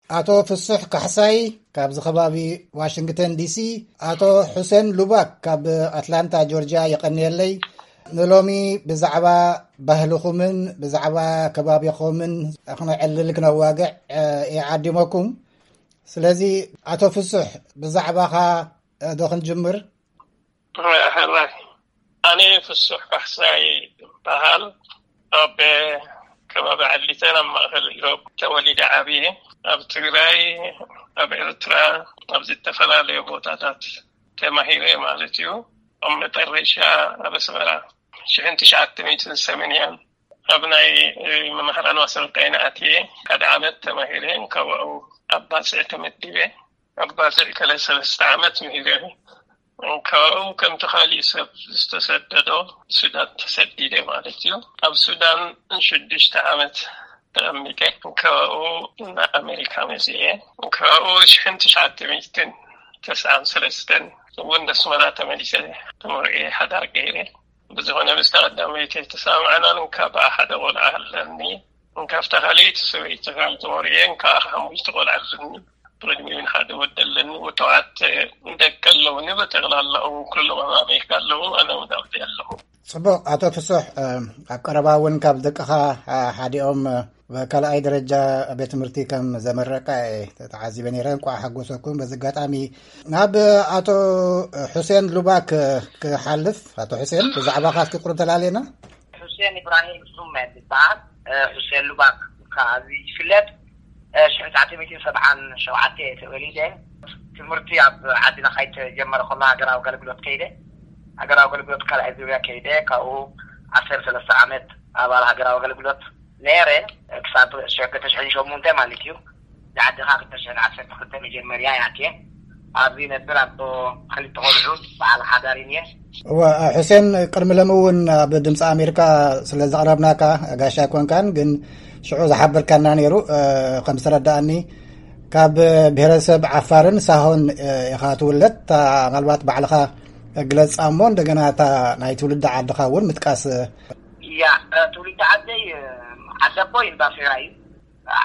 ኣቶ ፍሱሕ ካሕሳይ ካብዚ ከባቢ ዋሽንግተን ዲሲ፣ ኣቶ ሑሴን ሉባክ ካብ ኣትላንታ ጆርጅያ፣ የቐንየለይ። ንሎሚ ብዛዕባ ባህልኹምን ብዛዕባ ከባቢኹምን ክነዕልል ክነዋግዕ፣ እ፣ ይዓዲመኩም። ስለዚ ኣቶ ፍሱሕ ብዛዕባኻ፣ እ፣ ዶ ክንጅምር? ሕራይ። ኣነ ፍሱሕ ካሕሳይ ይበሃል። ኣብ ከባቢ ዓሊተን ኣብ ማእከል ኢሮብ ተወሊደ ዓብየ። ኣብ ትግራይ፣ ኣብ ኤርትራ፣ ኣብ ዝተፈላለዩ ቦታታት ተማሂረ ማለት እዩ። ኣብ መጠረሻ ኣብ ኣስመራ ሽሕን ትሽዓተ ሚእትን ሰማንያን ኣብ ናይ መምህራን ማሰልጠኒ ኣትየ ሓደ ዓመት ተማሂረ። ካብኡ ኣብ ባጽዕ ተመዲበ። ኣብ ባጽዕ ከለ ሰለስተ ዓመት ምሂረ። ካብኡ ከምቲ ካሊእ ሰብ ዝተሰደዶ ሱዳን ተሰዲደ ማለት እዩ። ኣብ ሱዳን ሽዱሽተ ዓመት ተቐሚጠ። ካብኡ ናብ ኣሜሪካ መፅየ። ካብኡ ሽሕን ትሽዓተ ሚእትን ተስዓን ሰለስተን እውን ኣስመራ ተመሊሰ ተመርዕየ ሓዳር ገይረ። ብዝኾነ ምስቲ ቀዳመይቲ ተሰማዕናን እንካ ብኣ ሓደ ቆልዓ ኣለኒ። እንካ ኣብታ ካልኣይቲ ሰበይቲ ካብ ተወርየ እንካ ሓሙሽተ ቆልዓ ኣለኒ። ብቕድሚኡ ሓደ ወዲ ኣለኒ። ወተዋት ደቂ ኣለውኒ። ብጠቕላላኡ ኩሎም ኣብ ኣሜሪካ ኣለዉ። ኣነ እውን ኣብቲ ኣለኹ። ጽቡቕ። ኣቶ ፍሱሕ፣ እ፣ ኣብ ቀረባ እውን ካብ ደቅኻ፣ እ፣ ሓዲኦም፣ እ፣ ካልኣይ ደረጃ ቤት ትምህርቲ ከም ዘመረቀ እየ ተዓዚበ ነይረ። እንቋዕ ሓጎሰኩም። በዚ ኣጋጣሚ ናብ ኣቶ ሑሴን ሉባክ ክሓልፍ። ኣቶ ሑሴን፣ ብዛዕባኻ እስኪ ቁሩብ ተላለየና። ሑሴን ኢብራሂም ሱመ ዝበሃል፣ እ፣ ሑሴን ሉባክ ከኣ ይፍለጥ። እ፣ ሽሕን ትሽዓተ ሚእትን ሰብዓን ሸውዓተ እየ ተወሊደ። ትምህርቲ ኣብ ዓድና ከይተጀመረ ከሎ ሃገራዊ ኣገልግሎት ከይደ። ሃገራዊ ኣገልግሎት ካልኣይ ዙርያ ከይደ። ካብኡ ዓሰርተ ሰለስተ ዓመት ኣባል ሃገራዊ ኣገልግሎት ነይረ፣ ክሳብ ሸ-፣ ክልተ ሽሕን ሸሞንተ ማለት እዩ። ንዓድኻ ክልተ ሽሕን ዓሰርተ ክልተ መጀመርያ እየ ኣትየ። ኣብዚ ነብር ኣቦ ክልተ ቆልዑ በዓል ሓዳር እየ። እወ፣ ሕሴን፣ ቅድሚ ሎሚ እውን ኣብ ድምፂ ኣሜሪካ ስለ ዘቕረብናካ ጋሻ ኣይኮንካን፣ ግን ሽዑ ዝሓበርካና ነይሩ። እ፣ ከም ዝተረዳእኒ ካብ ብሄረሰብ ዓፋርን ሳሆን፣ እ፣ ኢኻ ትውለድ። እታ ምናልባት ባዕልኻ ግለጻ እሞ እንደገና እታ ናይ ትውልዲ ዓድኻ እውን ምጥቃስ። እያ፣ እ፣ ትውልዲ ዓደይ፣ እ፣ ዓዲ ኣቦይ እንዳ ፌራ እዩ።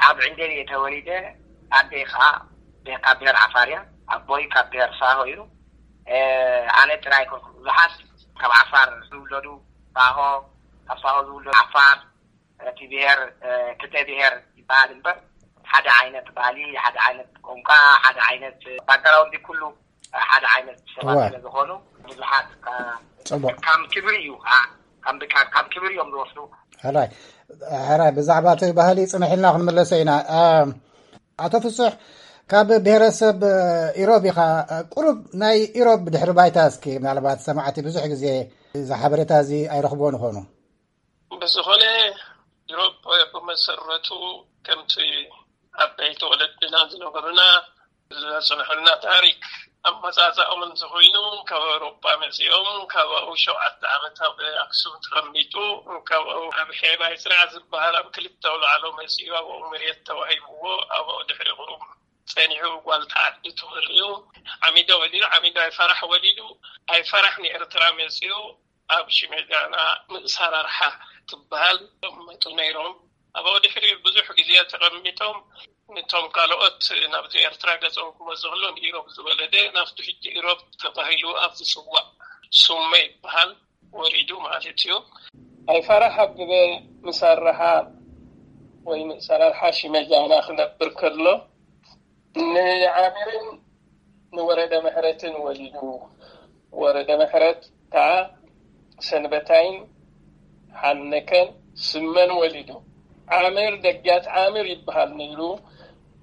ኣብ ዕንደል እየ ተወሊደ። ኣደይ ከዓ ካብ ብሄር ዓፋር እያ። ኣቦይ ካብ ብሄር ሳሆ እዩ። እ፣ ኣነ ጥራይ ኮንኩ። ብዙሓት ካብ ዓፋር ዝውለዱ ሳሆ፣ ካብ ሳሆ ዝውለዱ ዓፋር፣ እቲ ብሄር፣ እ፣ ክልተ ብሄር ይበሃል እምበር፣ ሓደ ዓይነት ባህሊ፣ ሓደ ዓይነት ቋንቋ፣ ሓደ ዓይነት ባክግራውንድ፣ ኩሉ ሓደ ዓይነት ሰባት እወ። ስለ ዝኾኑ ብዙሓት ከ-፣ ጽቡቕ። ከም ክብሪ እዩ፣ አ፣ ከም ብካ-፣ ከም ክብሪ እዮም ዝወስዱ። ሕራይ፣ ሕራይ፣ ብዛዕባ እቲ ባህሊ ጽንሕ ኢልና ክንምለሶ ኢና። እ፣ ኣቶ ፍሱሕ፣ ካብ ብሄረሰብ፣ እ፣ ኢሮብ ኢኻ። እ፣ ቁሩብ ናይ ኢሮብ ድሕሪ ባይታ እስኪ፣ ምናልባት ሰማዕቲ ብዙሕ ግዜ እዚ ሓበሬታ እዚ ኣይረኽብዎን ይኾኑ። ብዝኾነ፣ ኢሮብ ብመሰረቱ ከምቲ ዓበይቲ ወለድና ዝነበሩና ዘጽንሑልና ታሪኽ ኣመጻጽኣኦም እንተኾይኑ፣ ካብ ኣውሮጳ መጺኦም፣ ካብ ኣብኡ ሸውዓተ ዓመት ኣብ ኣክሱም ተቐሚጡ፣ ካብ ኣብኡ ኣብ ሄባይ ስርዓ ዝበሃል ኣብ ክልተ ኣውላዕሎ መጺኡ፣ ኣብ ኣብኡ መሬት ተዋሂብዎ፣ ኣብ ኣብኡ ድሕሪ ቁሩብ ጸኒሑ ጓል ተዓዲ ተወልዩ፣ ዓሚዶ ወሊዱ፣ ዓሚዶ ኣይፈራሕ ወሊዱ፣ ኣይፈራሕ ንኤርትራ መጺኡ፣ ኣብ ሽመጃና ምእሳራርሓ ትበሃል ተቐመጡ ነይሮም። ኣብኡ ድሕሪ ብዙሕ ግዜ ተቐሚጦም፣ ነቶም ካልኦት ናብዚ ኤርትራ ገጾም ክመጹ ከለዉ፣ ንኢሮብ ዝወለደ ናብቲ ሕጂ ኢሮብ ተባሂሉ ኣብ ዝጽዋዕ ሱመ ይበሃል ወሪዱ ማለት እዩ። ኣይፈራሕ ኣበበ ምሳርሓ ወይ ምእሰራርሓ ሽመጃና ክነብር ከሎ፣ ንዓሚርን ንወረደ ምሕረትን ወሊዱ። ወረደ ምሕረት ከኣ ሰንበታይን ሓነከን ስመን ወሊዱ። ዓምር ደጊያት ዓምር ይበሃል ነይሩ።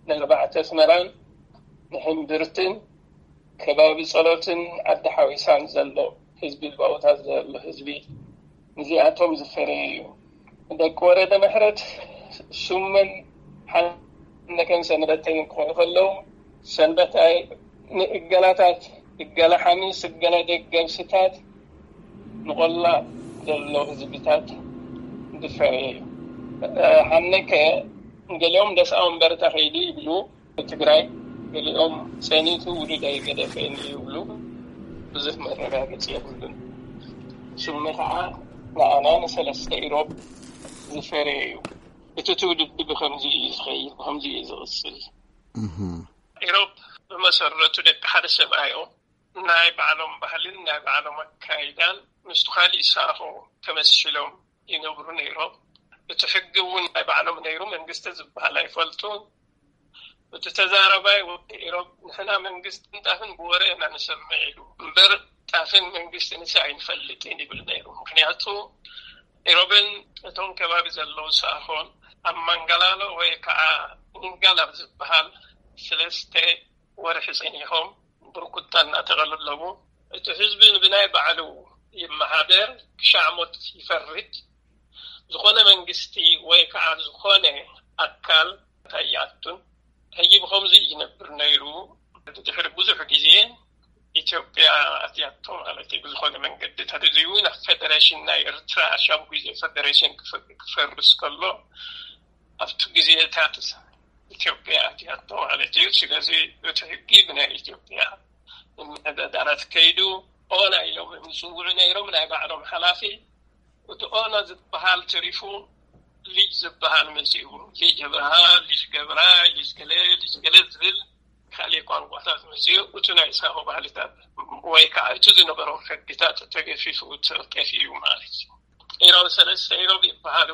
ንኣርባዕተ ኣስመራን ንሕምብርትን ከባቢ ጸሎትን ዓዲ ሓዊሳን ዘሎ ህዝቢ፣ ባውታ ዘሎ ህዝቢ፣ ንዚኣቶም ዝፈረየ እዩ። ደቂ ወረደ ምሕረት ሱመን ሓነከን ሰንበተይን ክኾኑ ከለዉ፣ ሰንበታይ ንእገላታት፣ እገላ ሓሚስ፣ እገላ ደገብስታት፣ ንቆላ ዘሎ ህዝብታት ዝፈረየ እዩ። ሓነከ ገሊኦም ደስኣውን በረታ ከይዱ ይብሉ፣ ትግራይ ገሊኦም ጸኒቱ ውሉድ ኣይገደፈን ይብሉ። ብዙሕ መረጋገጺ የብሉን። ሱመ ከዓ ንኣና ንሰለስተ ኢሮብ ዝፈረየ እዩ። እቲ ትውልዲ ብኸምዚ እዩ ዝኸይድ፣ ብኸምዚ እዩ ዝቕጽል። ኢሮብ ብመሰረቱ ደቂ ሓደ ሰብኣዮም ናይ ባዕሎም ባህልን ናይ ባዕሎም ኣካይዳን ምስቲ ካሊእ ሳሆ ተመሲሎም ይነብሩ ነይሮም። እቲ ሕጊ እውን ናይ ባዕሎም ነይሩ። መንግስቲ ዝበሃል ኣይፈልጡን። እቲ ተዛረባይ ወዲ ኢሮብ ንሕና መንግስቲ ምንጣፍን ብወረ ኢና ንሰምዕ ኢሉ እምበር ጣፍን መንግስቲ ንስ ኣይንፈልጥን ይብል ነይሩ። ምክንያቱ ኢሮብን እቶም ከባቢ ዘለዉ ሳሆን ኣብ ማንጋላሎ ወይ ከዓ ኒንጋል ኣብ ዝበሃል ስለስተ ወርሒ ጸኒሖም ብርኩታ እናተቐሉ ኣለዉ። እቲ ህዝቢ ብናይ ባዕሉ ይመሓደር፣ ክሻዕ ሞት ይፈርድ። ዝኾነ መንግስቲ ወይ ከዓ ዝኾነ ኣካል ኣይኣቱን። ሕጂ ብኸምዚ ይነብር ነይሩ። ድሕሪ ብዙሕ ግዜ ኢትዮጵያ ኣትያቶ ማለት እዩ። ብዝኾነ መንገዲ ተደልዩ ናብ ፌደሬሽን ናይ ኤርትራ ሻቡ ግዜ ፌደሬሽን ክፈርስ ከሎ ኣብቲ ግዜታት ኢትዮጵያ ኣትያቶ ማለት እዩ። ስለዚ እቲ ሕጊ ብናይ ኢትዮጵያ ምምሕዳራት ከይዱ ኦና ኢሎም ዝፅውዑ ነይሮም ናይ ባዕሎም ሓላፊ። እቲ ኦና ዝበሃል ትሪፉ ሊጅ ዝበሃል መፂኡ። ሊጅ ኣብርሃ፣ ሊጅ ገብራ፣ ሊጅ ገለ፣ ሊጅ ገለ ዝብል ካልእ ቋንቋታት መፂኡ። እቲ ናይ ሳሆ ባህልታት ወይ ከዓ እቲ ዝነበሮም ሕግታት ተገፊፉ ጠፊኡ ማለት እዩ። ኢሮብ ሰለስተ ኢሮብ ይበሃሉ።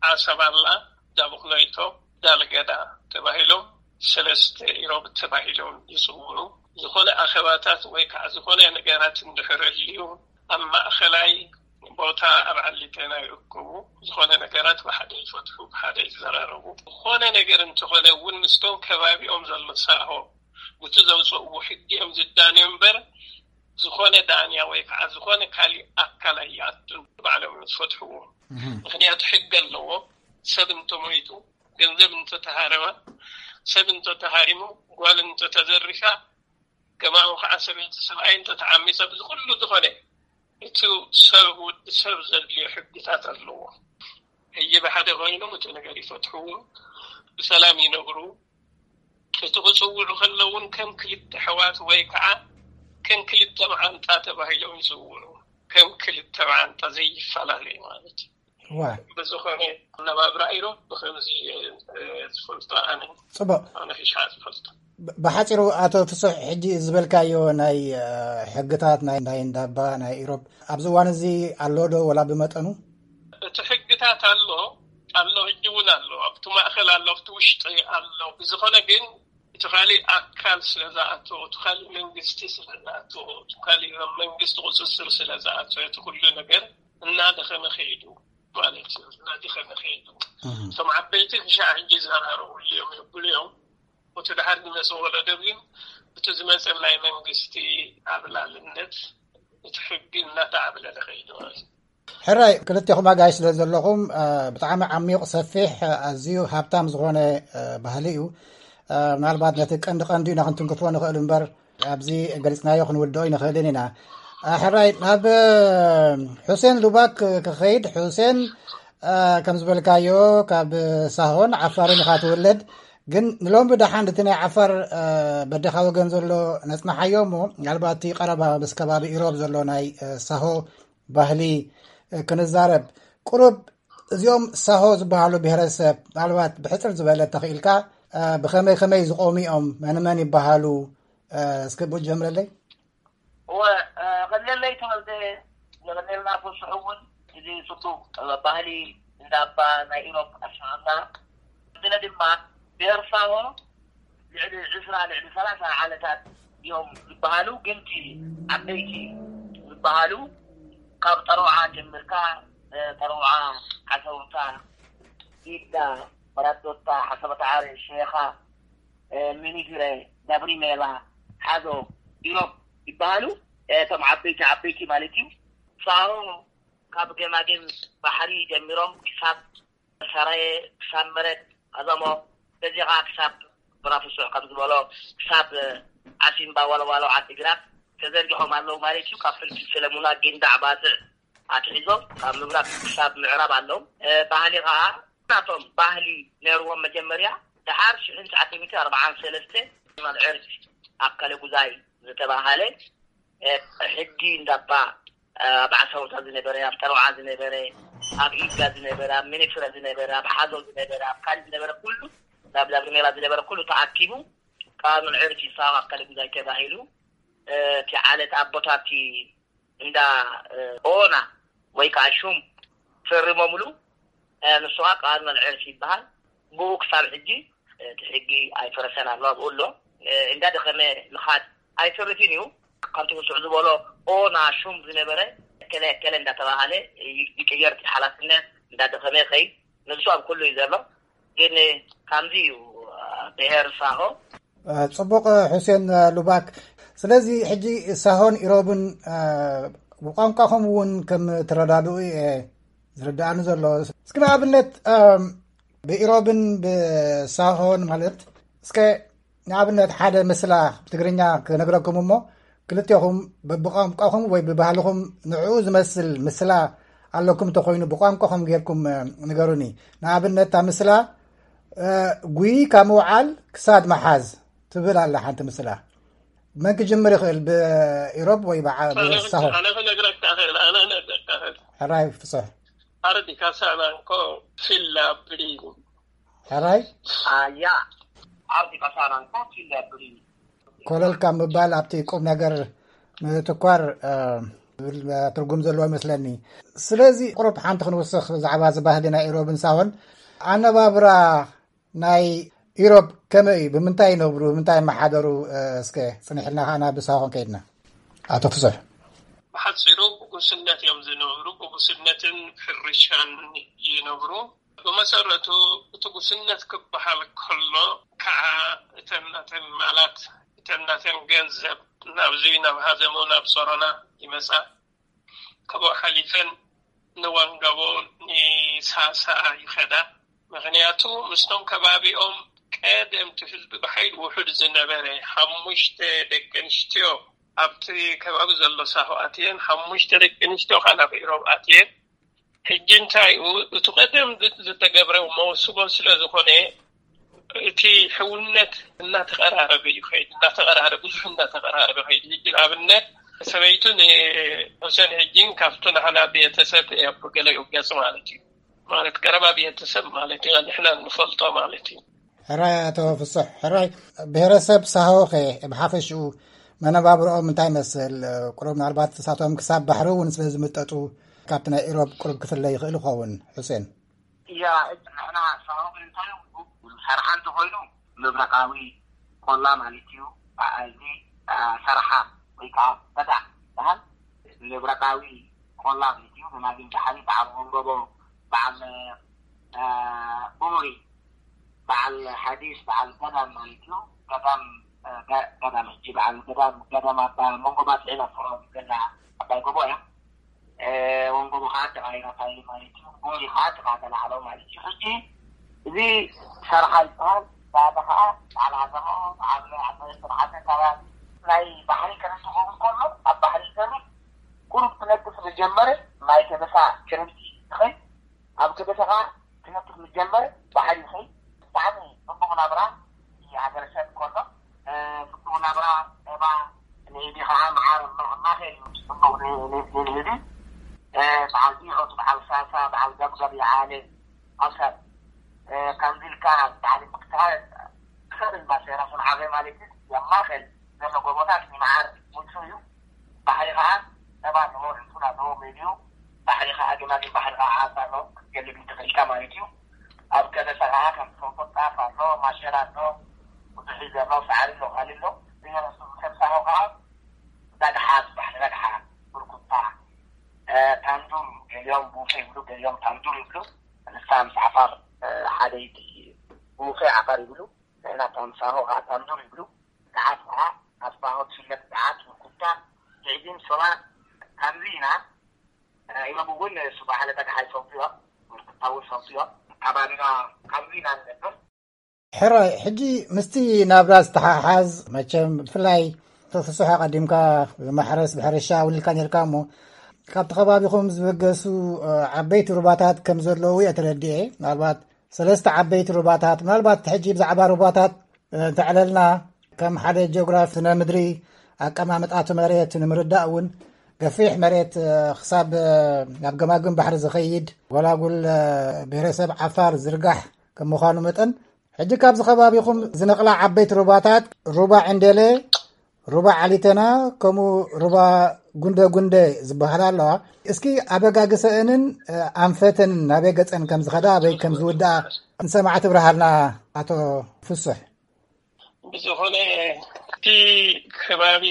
ዓሰባላ፣ ዳቡክሎይቶ፣ ዳልገዳ ተባሂሎም ሰለስተ ኢሮብ ተባሂሎም ይፅውዑ። ዝኾነ ኣኼባታት ወይ ከዓ ዝኾነ ነገራት እንድሕር ህልዩ ኣብ ማእኸላይ ቦታ ኣብ ዓሊቴና ይእክቡ። ዝኾነ ነገራት ብሓደ ይፈትሑ፣ ብሓደ ይዘራረቡ። ዝኾነ ነገር እንተኾነ እውን ምስቶም ከባቢኦም ዘሎ ሳሆ ብቲ ዘውፅእዎ ሕጊ እዮም ዝዳንዩ እምበር ዝኾነ ዳንያ ወይ ከዓ ዝኾነ ካሊእ ኣካል ኣይኣቱን፣ ባዕሎም እዮም ዝፈትሕዎ። ምክንያቱ ሕጊ ኣለዎ። ሰብ እንተሞይቱ፣ ገንዘብ እንተተሃረመ፣ ሰብ እንተተሃሪሙ፣ ጓል እንተተዘሪፋ፣ ከማኡ ከዓ ሰበይቲ ሰብኣይ እንተተዓሚፀ፣ ብዚ ኩሉ ዝኾነ እቲ ሰብ ወዲ ሰብ ዘድልዮ ሕግታት ኣለዎ። ሕጂ ብሓደ ኮይኖም እቲ ነገር ይፈትሕዎ፣ ብሰላም ይነብሩ። እቲ ክፅውዑ ከለውን ከም ክልተ ኣሕዋት ወይ ከዓ ከም ክልተ መዓንጣ ተባሂሎም ይፅውዑ። ከም ክልተ መዓንጣ ዘይፈላለዩ ማለት እዩ። ዋ። ብዝኾነ ኣነባብራ ኢሮብ ብኸምዚ እየ ዝፈልጦ ኣነ። ፅቡቅ። ኣነ ሒሻ ዝፈልጦ። ብ-፣ ብሓፂሩ ኣቶ ፍሱሕ፣ ሕጂ ዝበልካዮ ናይ፣ እ፣ ሕግታት ናይ፣ ናይ እንዳባ ናይ ኢሮብ ኣብዚ እዋን እዚ ኣሎ ዶ ወላ ብመጠኑ? እቲ ሕግታት ኣሎ፣ ኣሎ፣ ሕጂ እውን ኣሎ፣ ኣብቲ ማእኸል ኣሎ፣ ኣብቲ ውሽጢ ኣሎ። ብዝኾነ ግን እቲ ካሊእ ኣካል ስለ ዝኣተዎ፣ እቲ ካሊእ መንግስቲ ስለ ዝኣተዎ፣ እቲ ካሊእ መንግስቲ ቁፅፅር ስለ ዝኣተዎ፣ እቲ ኩሉ ነገር እናደኸመ ከይዱ ማለት እዩ። እናደኸመ ከይዱ። እቶም ዓበይቲ ክሻዕ ሕጂ ይዘራረቡ እዮም ይብሉ እዮም። እቲ ድሓር ዝመፀ ወለዶ ግን እቲ ዝመፀ ናይ መንግስቲ ዓብላልነት፣ እቲ ሕጊ እናተዓብለለ ከይዱ ማለት እዩ። ሕራይ፣ ክልቴኹም ኣጋይሽ ስለ ዘለኹም፣ እ፣ ብጣዕሚ ዓሚቕ፣ ሰፊሕ፣ እ፣ ኣዝዩ ሃብታም ዝኾነ፣ እ፣ ባህሊ እዩ። እ፣ ምናልባት ነቲ ቀንዲ ቀንዲ ኢና ክንትንክፎ ንኽእል እምበር፣ ኣብዚ ገሊጽናዮ ክንውድኦ ኣይንኽእልን ኢና። እ፣ ሕራይ፣ ናብ፣ እ፣ ሑሴን ሉባክ ክኸይድ። ሑሴን፣ እ፣ ከም ዝበልካዮ ካብ ሳሆን ዓፋርን ኢኻ ትውለድ። ግን ንሎሚ ብደሓን እቲ ናይ ዓፋር፣ እ፣ በደኻ ወገን ዘሎ ነጽንሓዮ እሞ፣ ምናልባት እቲ ቀረባ ምስ ከባቢ ኢሮብ ዘሎ ናይ፣ እ፣ ሳሆ ባህሊ፣ እ፣ ክንዛረብ። ቁሩብ እዚኦም ሳሆ ዝበሃሉ ብሄረሰብ ምናልባት ብሕጽር ዝበለ ተኽኢልካ፣ እ፣ ብኸመይ ከመይ ዝቖሙ እዮም? መን መን ይበሃሉ? እ፣ እስኪ ብኡ ጀምረለይ። እወ፣ እ፣ ቐለለይ ተወልደ፣ ንቐለልና ፍሱሕ እውን እዚ ጽቡቕ፣ እ፣ ባህሊ እንዳባ ናይ ኢሮብ ኣስማምና። ብለ ድማ ብሄር ሳሆ ልዕሊ ዕስራ ልዕሊ ሰላሳ ዓለታት እዮም ዝበሃሉ፣ ግን እቲ ዓበይቲ ዝበሃሉ ካብ ጠረውዓ ጀምርካ፣ እ፣ ጠረውዓ፣ ዓሰውታ፣ ኢዳ፣ መራዶታ፣ ዓሰበ ዳዕሮ፣ ሼኻ፣ እ፣ ሚኒግረ፣ ዳብሪሜላ፣ ሓዞ፣ ኢሮብ ይበሃሉ። እቶም ዓበይቲ ዓበይቲ ማለት እዩ። ሳሆ ካብ ገማግም ባሕሪ ጀሚሮም ክሳብ ሰራየ፣ ክሳብ መረት፣ ኣዛሞ፣ በዚኻ ክሳብ ብራፍሱዕ ከም ዝበሎ ክሳብ ዓሲምባ፣ ዋለዋሎ፣ ዓዲግራት ተዘርጊሖም ኣለዉ ማለት እዩ። ካብ ፍልፍል ሰለሙና፣ ጊንዳዕ፣ ባጽዕ ኣትሒዞም ካብ ምብራቕ ክሳብ ምዕራብ ኣለዉ። እ፣ ባህሊ ኸኣ ናቶም ባህሊ ነይርዎም መጀመርያ። ደሓር ሽሕን ትሽዓተ ሚእቲ ኣርብዓን ሰለስተ ጀማል ዕርፊ ኣብ ከለጉዛይ ዝተባህለ፣ እ፣ ሕጊ እንዳባ፣ እ፣ ኣብ ዓሳውታ ዝነበረ፣ ኣብ ጠረውዓ ዝነበረ፣ ኣብ ኢጋ ዝነበረ፣ ኣብ ሚኒፍረ ዝነበረ፣ ኣብ ሓዞ ዝነበረ፣ ኣብ ካሊ ዝነበረ ኩሉ ኣብ ዛግሜላ ዝነበረ ኩሉ ተኣኪቡ፣ ካብ ንዕርፊ ሳዋ ከልግዛይ ተባሂሉ፣ እቲ ዓለት ኣቦታቲ እንዳ ኦና ወይ ከዓ ሹም ፈሪሞምሉ። ንሱ ከዓ ቃል መልዕርፊ ይበሃል። ብኡ ክሳብ ሕጂ እቲ ሕጊ ኣይፈረሰን ኣሎ፣ ኣብኡ ኣሎ። እንዳደኸመ ምኻድ ኣይተርፍን እዩ። ከምቲ ምስዑ ዝበሎ ኦና ሹም ዝነበረ እከለ እከለ እንዳተባሃለ ይቅየር እቲ ሓላፍነት። እንዳደኸመ ይኸይድ። ንሱ ኣብ ኩሉ እዩ ዘሎ። ግን ከምዚ እዩ። ብሄር ሳሆ። ጽቡቕ፣ ሑሴን ሉባክ። ስለዚ ሕጂ ሳሆን ኢሮብን ብቋንቋኹም እውን ከም ትረዳድኡ እየ ዝርድኣኒ ዘሎ። እስኪ ንኣብነት ብኢሮብን ብሳሆን ማለት እስከ ንኣብነት ሓደ ምስላ ብትግርኛ ክነግረኩም እሞ ክልቴኹም ብቋንቋኹም ወይ ብባህልኹም ንዕኡ ዝመስል ምስላ ኣለኩም እንተኾይኑ ብቋንቋኹም ጌርኩም ንገሩኒ። ንኣብነት እታ ምስላ ጉይ ካብ ምውዓል ክሳድ መሓዝ ትብል ኣላ ሓንቲ ምስላ። መን ክጅምር ይኽእል? ብኢሮብ ወይ ብሳሆ? ሕራይ ፍጹሕ። ኣረዲ ካሳናንኮ ፊላ ብሪኒ። ሕራይ ኣያ ኣርዲ ካሳናንኮ ፊላ ብሪኒ። ኮለል ካብ ምባል ኣብቲ ቁም ነገር ምትኳር ትርጉም ዘለዎ ይመስለኒ። ስለዚ ቁሩብ ሓንቲ ክንውስኽ ብዛዕባ እዚ ባህሊ ናይ ኢሮብን ሳሆን። ኣነባብራ ናይ ኢሮብ ከመይ እዩ? ብምንታይ ይነብሩ? ብምንታይ ይመሓደሩ? እስከ ጽኒሕልና ከኣ ናብ ሳሆ ክንከይድና። ኣቶ ፍጹሕ። ብሓጺሩ ብጉስነት እዮም ዝነብሩ። ብጉስነትን ሕርሻን ይነብሩ። ብመሰረቱ እቲ ጉስነት ክበሃል ከሎ ከዓ እተን ናተን ማላት፣ እተን ናተን ገንዘብ ናብዚ ናብ ሃዘሞ ናብ ሶሮና ይመጻ። ካብኡ ሓሊፈን ንዋንጋቦ ንሳሳ ይኸዳ። ምኽንያቱ ምስቶም ከባቢኦም ቀደምቲ ህዝቢ ብሓይሊ ውሑድ ዝነበረ ሓሙሽተ ደቂ ኣንስትዮ ኣብቲ ከባቢ ዘሎ ሳሆ ኣትየን፣ ሓሙሽተ ደቂ ኣንስትዮ ከዓ ናብ ኢሮብ ኣትየን። ሕጂ እንታይ እዩ እቲ ቀደም ዝተገብረ መወስቦ ስለ ዝኾነ እቲ ሕውነት እናተቐራረበ እዩ ኸይድ እናተቐራረበ ብዙሕ እናተቐራረበ ኸይድ። ሕጂ ንኣብነት ሰበይቱ ንሑሴን ሕጂ ካብቱ ንሕና ቤተሰብ ገለ ይውገጽ ማለት እዩ። ማለት ቀረባ ቤተሰብ ማለት እዩ። ንሕና ንፈልጦ ማለት እዩ። ሕራይ ኣቶ ፍጹሕ። ሕራይ ብሄረሰብ ሳሆኸ ብሓፈሽኡ መነባብርኦም እንታይ ይመስል? ቁሩብ ምናልባት እሳቶም ክሳብ ባሕሪ እውን ስለ ዝምጠጡ ካብቲ ናይ ኢሮብ ቁሩብ ክፍለ ይኽእል ይኸውን። ሑሴን። እያ፣ ሕጂ ንሕና ሳሆ እንታይ እዩ? ሰርሓ እንተኾይኑ ምብራቓዊ ቆላ ማለት እዩ። በዓልቲ ሰርሓ ወይ ከዓ በዳ በሃል ምብራቓዊ ቆላ ማለት እዩ። ብማግን ባሕሪ በዓል መንጎቦ በዓል ቡሪ በዓል ሓዲስ በዓል ገዳም ማለት እዩ። ገዳም ገዳም ሕጂ በዓል ገዳም ገዳም ኣባ መንጎባ ጽዒና ፍሮ ገና ኣባይ ጎቦ እያ። ወንጎቦ ከዓ ተቃይራ ፋይል ማለት እዩ። ቡሪ ከዓ ተቃተላ ዓለው ማለት እዩ። ሕጂ እዚ ሰርሓ ይበሃል። ባዳ ከዓ በዓል ዓዘሞ በዓል ዓበስተ በዓል ከባቢ ናይ ባሕሪ ከነትኸውን ከሎ ኣብ ባሕሪ ይሰርሕ ቁሩብ ክነጥፍ ዝጀመረ ናይ ከበሳ ክረምቲ ይኸይ ኣብ ከበሳ ከዓ ክነጥፍ ዝጀመረ ባሕሪ ይኸይ ብጣዕሚ ጽቡቕ ናብራ ይሃገረሰብ ከሎ ጽቡቕ ናብራ ባ ንኢዲ ከዓ መዓር ማኸል እዩ ጽቡቕ ንኢዲ በዓል ዲዖት በዓል ሳሳ በዓል ገብገብ ይዓለ ኣውሳድ ከምዚ ኢልካ በዓል ምክትሃል ክሰብል ባሴራ ስምዓበ ማለት እዩ ኣብ ማኸል ዘሎ ጎቦታት ንመዓር ምቹ እዩ። ባሕሪ ከዓ ሰባት ንመርዕቱ ናተዎ መሊኡ ባሕሪ ከዓ ግማግም ባሕሪ ከዓ ዓሳ ኣሎ ክትገልብ ይትኽእልካ ማለት እዩ። ኣብ ከበሳ ከዓ ከም ትፈልጦ ጣፍ ኣሎ ማሸላ ኣሎ ብዙሕ እዩ ዘሎ ሳዕሪ ኣሎ ካሊ ኣሎ። ብየነሱ ከብሳሆ ከዓ ዳግሓ ባሕሪ ዳግሓ ብርኩታ ታንዱር ገሊኦም ቡፌ ይብሉ ገሊኦም ታንዱር ይብሉ። ንሳ ምስ ዓፋር ሓደይቲ ቡፌ ዓፋር ይብሉ። ንሕና ታምሳሆ ከዓ ታንዱር ይብሉ። ገዓት ከዓ ኣብ ሳሆ ትፍለጥ ገዓት ብርኩታ ትዕዚም ሶላ። ከምዚ ኢና። ኢሎም እውን እሱ ባሕሪ ዳግሓ ይፈልጡ እዮም። ብርኩታ እውን ይፈልጡ እዮም። ከባቢና ከምዚ ኢና ንነብር። ሕራይ ሕጂ ምስቲ ናብራ ዝተሓሓዝ መቸም ብፍላይ ተፍስሖ ቀዲምካ ብማሕረስ ብሕርሻ እውን ኢልካ ነርካ እሞ ካብቲ ከባቢኹም ዝበገሱ ዓበይቲ ሩባታት ከም ዘለዉ እየ ተረዲኤ። ምናልባት ሰለስተ ዓበይቲ ሩባታት ምናልባት ሕጂ ብዛዕባ ሩባታት እንተዕለልና ከም ሓደ ጂኦግራፍ ስነ ምድሪ ኣቀማምጣቱ መሬት ንምርዳእ እውን ገፊሕ መሬት ክሳብ ናብ ገማግም ባሕሪ ዝኸይድ ጎላጉል ብሄረሰብ ዓፋር ዝርጋሕ ከም ምዃኑ መጠን ሕጂ ካብዚ ከባቢኹም ዝነቕላ ዓበይቲ ሩባታት ሩባ ዕንደለ፣ ሩባ ዓሊተና፣ ከምኡ ሩባ ጉንደ ጉንደ ዝበሃላ ኣለዋ። እስኪ ኣበጋግሰአንን፣ እ፣ ኣንፈተንን ናበይ ገጸን ከም ዝኸዳ፣ ኣበይ ከም ዝውድኣ ንሰማዕቲ ብርሃልና ኣቶ ፍሱሕ። ብዝኾነ እቲ ከባቢ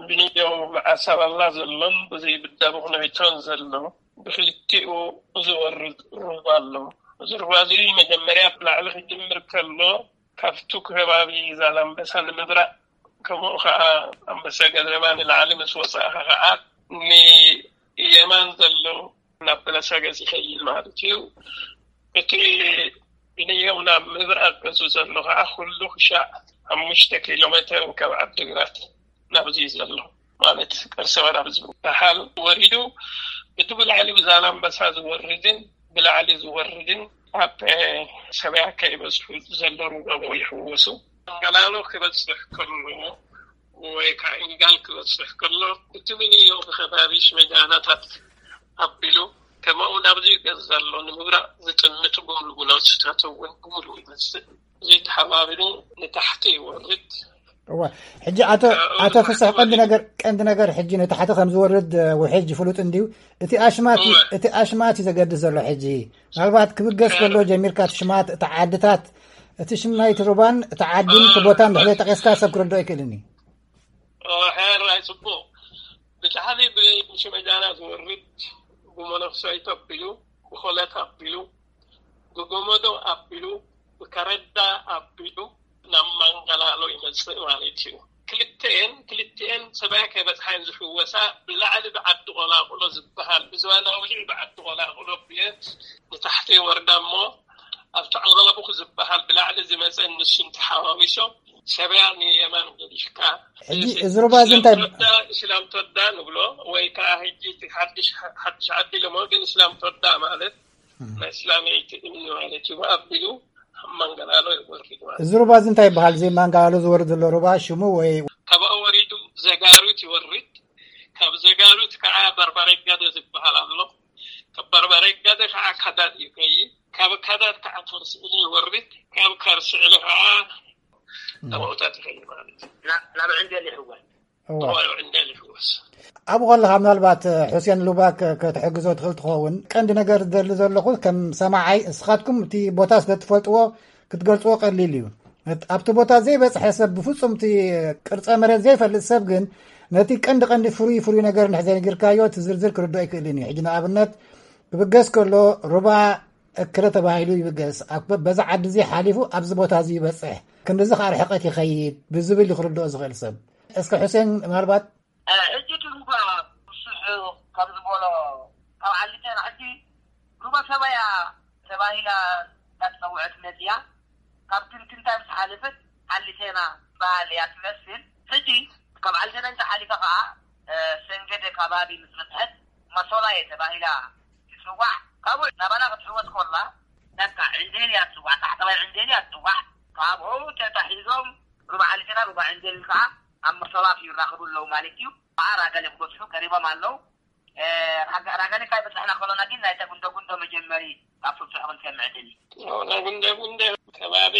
ብንዮ መዓሳባላ ዘሎን ብዘይ ብዳቡ ክነቢቶን ዘሎ ብክልቲኡ ዝወርድ ሩባ ኣሎ። እዚ ሩባ እዚ መጀመርያ ብላዕሊ ክጅምር ከሎ ካብቱ ከባቢ ዛላምበሳ ንምብራቕ፣ ከምኡ ኸዓ ኣንበሳ ገደማ ንላዕሊ ምስ ወፃእኻ ኸዓ ንየማን ዘሎ ናብ በለሳ ገፅ ይኸይድ ማለት እዩ። እቲ ብንየው ናብ ምብራቕ ገፁ ዘሎ ኸዓ ኩሉ ክሻዕ ሓሙሽተ ኪሎ ሜትር ካብ ዓዲግራት ናብዚ ዘሎ ማለት ቅርሰ ወራብ ዝበሃል ወሪዱ፣ እቲ ብላዕሊ ብዛላምበሳ ዝወርድን ብላዕሊ ዝወርድን ኣብ ሰብያ ከይበዝሑ ዘሎ ሩባቦ ይሕወሱ። ኣንገላሎ ክበፅሕ ከሎ ወይ ከዓ ኢንጋል ክበፅሕ ከሎ፣ እቲ ምንዮ ብከባቢ ሽመጃናታት ኣቢሉ፣ ከምኡ ናብዚ ገፅ ዘሎ ንምብራቕ ዝጥምት ብምሉኡ ናውትታት እውን ብምሉኡ ይመፅእ። ዘይተሓባቢሩ ንታሕቲ ይወርድ። እዋ፣ ሕጂ ኣቶ፣ ካብኡ ኣቶ ፍስሕ፣ ቀንዲ ነገር፣ ቀንዲ ነገር ሕጂ ንታሕቲ ከም ዝወርድ፣ እ፣ ውሕጅ ፍሉጥ እንድዩ። እቲ ኣሽማት እዩ፣ እዋ። እቲ ኣሽማት እዩ ዘገድስ ዘሎ ሕጂ። ምናልባት ክብገስ ከሎ ጀሚርካ እቲ ሽማት፣ እቲ ዓድታት፣ እቲ ሽም ናይቲ ሩባን እቲ ዓዲን እቲ ቦታን ድሕሪ ጠቂስካ ሰብ ክረድኦ ኣይክእልን እዩ። ኦ፣ ሕራይ ጽቡቕ። ብታሕቲ ብሽመጃና ዝወርድ፣ ብመነኽሰይት ኣቢሉ፣ ብኾለት ኣቢሉ፣ ብጎመዶ ኣቢሉ፣ ብከረዳ ኣቢሉ ናብ ማንጋላሎ ይመጽእ ማለት እዩ። ክልተኤን፣ ክልተኤን ሰብኣይ ከይበጽሓ እየን ዝሕወሳ። ብላዕሊ ብዓዲ ቆላቁሎ ዝበሃል፣ ብዝባናዊ ብዓዲ ቆላቁሎ ብየት ንታሕቲ ይወርዳ እሞ፣ ኣብቲ ዓባቡኽ ዝበሃል ብላዕሊ ዝመጸ ንሱን ተሓዋዊሶም ሰብያ ንየማን ገዲፍካ፣ ሕጂ እዚ ሩባ እዚ እንታይ እስላም ተወዳ፣ እስላም ተወዳ ንብሎ፣ ወይ ከዓ ሕጂ እቲ ሓድሽ፣ ሓድሽ ዓዲ ኢሎሞ፣ ግን እስላም ተወዳ ማለት ናይ እስላመይቲ እምኒ ማለት እዩ። ኣቢሉ ኣብ ማንጋላሎ ይወርድ ማለት እዩ። እዚ ሩባ እዚ እንታይ ይበሃል? እዚ ማንጋላሎ ዝወርድ ዘሎ ሩባ ሽሙ ወይ? ካብኡ ወሪዱ ዘጋሩት ይወርድ። ካብ ዘጋሩት ከዓ በርባሬ ጋደ ዝበሃል ኣሎ። ካብ በርባሬ ጋደ ከዓ ካዳድ ይኸይድ። ካብ ካዳድ ከዓ ከርሲ ዕለ ይወርድ። ካብ ከርሲ ዕለ ከዓ እም። ተባኡታት ይኸይድ ማለት እዩ። ናብ፣ ናብ ዕንደል ይሕወስ። እዋ። ተባኡ ዕንደል ይሕወስ። ኣብኡ ከለኻ ምናልባት፣ እ፣ ሑሴን ሉባክ፣ እ፣ ከተሕግዞ ትኽእል ትኸውን። ቀንዲ ነገር ዝደሊ ዘለኹ ከም ሰማዓይ፣ እስኻትኩም እቲ ቦታ ስለ ትፈልጥዎ ክትገልጽዎ ቀሊል እዩ። እት-፣ ኣብቲ ቦታ ዘይበጽሐ ሰብ፣ ብፍጹም እቲ ቅርጸ መሬት ዘይፈልጥ ሰብ ግን ነቲ ቀንዲ ቀንዲ ፍሩይ ፍሩይ ነገር እንድሕር ዘይነጊርካዮ እቲ ዝርዝር ክርድኦ ኣይክእልን እዩ። ሕጂ ንኣብነት ክብገስ ከሎ ሩባ እክለ ተባሂሉ ይብገስ። ኣብ በ-፣ በዛ ዓዲ እዚ ሓሊፉ ኣብዚ ቦታ እዚ ይበጽሕ፣ ክንድዚ ከዓ ርሕቀት ይኸይድ ብዝብል እዩ ክርድኦ ዝኽእል ሰብ። እስከ ሑሴን ምናልባት እ፣ ሕጂ እቲ ሩባ ብዙሕ ከም ዝበሎ ካብ ዓሊቴና ሕጂ ሩባ ሰባያ ተባሂላ እንዳተፀውዐት መፅያ። ካብ ትንትንታ ምስ ሓለፈት ዓሊቴና በሃል እያ ትመስል። ሕጂ ካብ ዓሊቴና እንተሓሊፋ ከዓ፣ እ፣ ሰንገደ ከባቢ ምስ በፅሐት መሶላየ ተባሂላ ትፅዋዕ። ካብኡ ናባና ክትሕወስ ኮላ በቃ ዕንዴል እያ ትፅዋዕ፣ ታሕተዋይ ዕንዴል እያ ትፅዋዕ። ካብኡ ተታሒዞም ሩባ ዓሊቴና ሩባ ዕንዴል ከዓ ኣብ መሶላት ይራኸቡ ኣለዉ ማለት እዩ። ከዓ ራገለ ክበፅሑ ቀሪቦም ኣለዉ። እ፣ ራገ-፣ ራገለ ካብ በፃሕና ከሎና ግን ናይታ ጉንደ ጉንዶ መጀመሪ ካብ ፍጹሕ ክንሰምዕ ደሊ። ናይ ጉንደ ጉንደ ከባቢ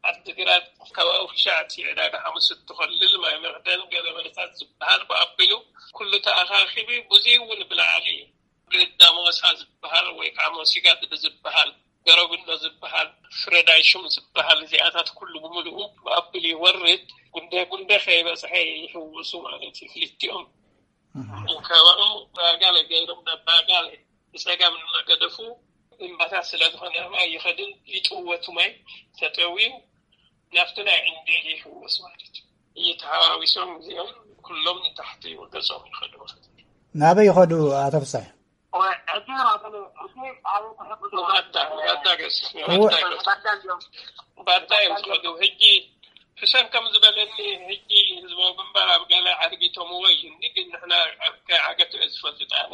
ዓዲግራት ከባቢ ክሻዕቲ ዕዳጋ ሓሙስ እትኸልል ማይ መኽደን ገለ መለታት ዝበሃል ብኣቢሉ ኩሉ ተኣኻኺቡ ብዙይ እውን ብላዕሊ ብዳሞሳ ዝበሃል ወይ ከዓ ሞሲጋድ ብዝበሃል ገረጉሎ ዝበሃል ፍረዳይሹም ዝበሃል እዚኣታት ኩሉ ብምልኡ ብኣቢሉ ይወርድ። ጉንደ ጉንደ ከይበፅሐ ይሕውሱ ማለት እዩ ክልቲኦም። እህ። እንከባኡ ባጋለ ገይሮም ናብ ባጋለ ብፀጋም እናገደፉ እምባታት ስለ ዝኾነ ማይ ይኸድን ይጥወቱ ማይ ተጠውዩ ናብቲ ናይ ዕንዴል ይሕወስ ማለት እዩ። እየተሓዋዊሶም እዚኦም ኩሎም ንታሕቲ ገጾም ይኸዱ ማለት እዩ። ናበይ ይኸዱ ኣቶ ፍስሐ? ሕጂ ራገለ፣ ሕጂ ኣብ ክሕግዞ ባዳ፣ ባዳ ገስ፣ እወ። ባዳ ገስ። ባዳ እዮም። ባዳ እዮም ዝኸዱ። ሕጂ ሕሰን ከም ዝበለኒ፣ ሕጂ ህዝባዊ ግንባር ኣብ ገለ ዓርጊቶምዎ እዩ። እንዲ ግን ንሕና ኣብ ከ-፣ ዓገቱ እየ ዝፈልጥ ኣነ።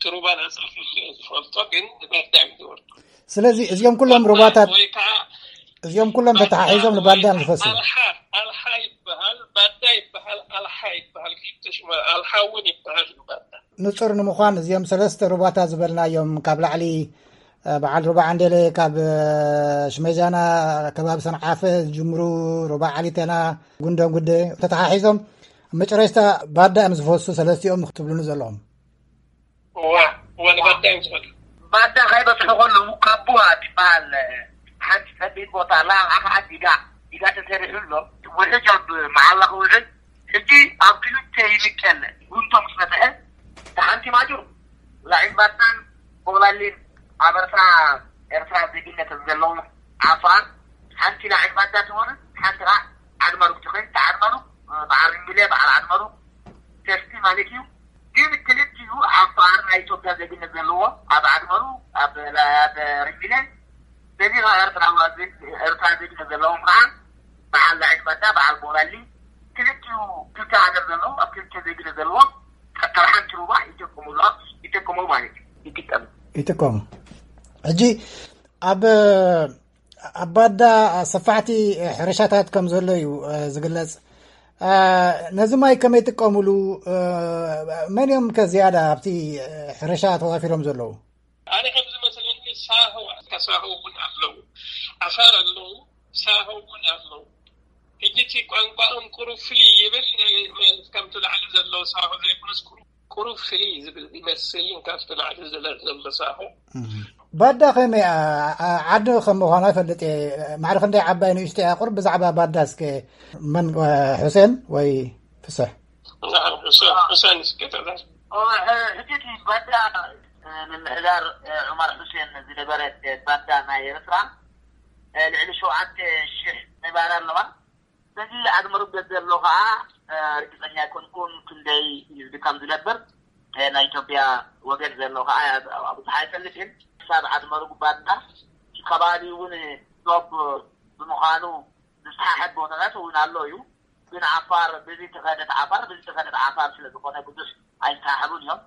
ትሩባ ነጻ ክልል እየ ዝፈልጦ፣ ግን ንባዳ እዮም ዝወርዱ። ስለዚ እዚኦም ኩሎም ሩባታት፣ ወይ ከዓ እዚኦም ኩሎም ተተሓሒዞም ንባዳ እዮም ዝፈስሱ። ኣልሓ፣ ኣልሓ ይበሃል፣ ባዳ ይበሃል፣ ኣልሓ ይበሃል፣ ክልተ ሽመ-፣ ኣልሓ እውን ይበሃል ንባዳ። ንጹር ንምዃን እዚኦም ሰለስተ ሩባታት ዝበልናዮም ካብ ላዕሊ በዓል ሩባ ዓንዴለ ካብ ሽመጃና ከባቢ ሰንዓፈ ዝጅምሩ፣ ሩባ ዓሊቴና፣ ጉንደን ጉደ ተተሓሒዞም ኣብ መጨረሽታ ባዳ እዮም ዝፈሱ ሰለስቲኦም ክትብሉኒ ዘለኹም። እዋ እዋ ንባዳ እዮም ዝኸዱ። ባዳ ከይበፅሑ ከለዉ ካቡዋ ትበሃል ሓንቲ ጸቢብ ቦታ ኣላ። ኣብኣ ከዓ ዲጋ ዲጋ ተሰሪሑ ኣሎ። ውሕጅ ኣብ መዓላ ክውሕድ ሕጂ ኣብ ክልተ ይምቀል። ጉንቶ ምስ መፅሐ ተሓንቲ ማጆ ላዒል ባዳን ቦላሊን ኣብ ኤርትራ ኤርትራ ዜግነት ዘለዎም ዓፋር ሓንቲ ላዒል ባዳ ትኾነ ሓንቲ ከዓ ዓድመሩግ ትኾን። ዓድመሩግ በዓል ሪምቢለ በዓል ዓድመሩግ ተስቲ ማለት እዩ። ግን ክልቲኡ ዓፋር ናይ ኢትዮጵያ ዜግነት ዘለዎ ኣብ ዓድመሩ ኣብ ሪምቢለ በዚ ኤርትራ ኤርትራ ዜግነት ዘለዎም ከዓ በዓል ላዒል ባዳ በዓል ቦላሊ ክልቲኡ ክልተ ሃገር ዘለዎም ኣብ ክልተ ዜግነት ዘለዎም ካብ ሓንቲ ሩባ ይጥቀሙ ይጥቀሙ ማለት እዩ። ይጥቀሙ ይጥቀሙ። ሕጂ ኣብ ኣብ ባዳ ሰፋሕቲ ሕርሻታት ከም ዘሎ እዩ ዝግለጽ። ነዚ ማይ ከመይ ይጥቀሙሉ? መን እዮም ከ ዝያዳ ኣብቲ ሕርሻ ተዋፊሮም ዘለዉ? ኣነ ከም ዝመስለኒ ሳሆ ሳሆ እውን ኣለዉ፣ ዓፋር ኣለዉ፣ ሳሆ እውን ኣለዉ። ሕጂ እቲ ቋንቋኦም ቁሩብ ፍልይ ይብል፣ ከምቲ ላዕሊ ዘለዉ ሳሆ ዘይኮነስ ቁሩብ ቁሩብ ፍልይ ዝብል ይመስል ካብቲ ላዕሊ ዝለ- ዘሎ ሳሆ። ባዳ ከመይ እያ? ዓዲ ከም ምዃና ይፈልጥ እየ። ማዕረ ክንደይ ዓባይ ንእሽቶ እያ? ቁሩብ ብዛዕባ ባዳ እስከ መን፣ እ፣ ሑሴን ወይ ፍስሕ? ናም፣ ሑሴን፣ ሑሴን እስከ ተዛር። ኦ፣ እ፣ እቲ ባዳ፣ እ፣ ምምሕዳር፣ እ፣ ዑመር ሑሴን ዝነበረ፣ እ፣ ባዳ ናይ ኤርትራ፣ እ፣ ልዕሊ ሸውዓተ ሽሕ ነባሪ ኣለዋ። በዚ ዓድመሩግ ዘሎ ከዓ ርግፀኛ ኣይኮንኩን ክንደይ ህዝቢ ከም ዝነብር። ናይ ኢትዮጵያ ወገን ዘሎ ከዓ ብዙሕ ኣይፈልጥን። ክሳብ ዓድመሩግ ባዳ ከባቢ እውን ዶብ ብምዃኑ ዝሰሓሐብ ቦታታት እውን ኣሎ እዩ። ግን ዓፋር ብዚ ተኸደት ዓፋር ብዚ ተኸደት ዓፋር ስለዝኾነ ብዙሕ ኣይተሓሕቡን እዮም።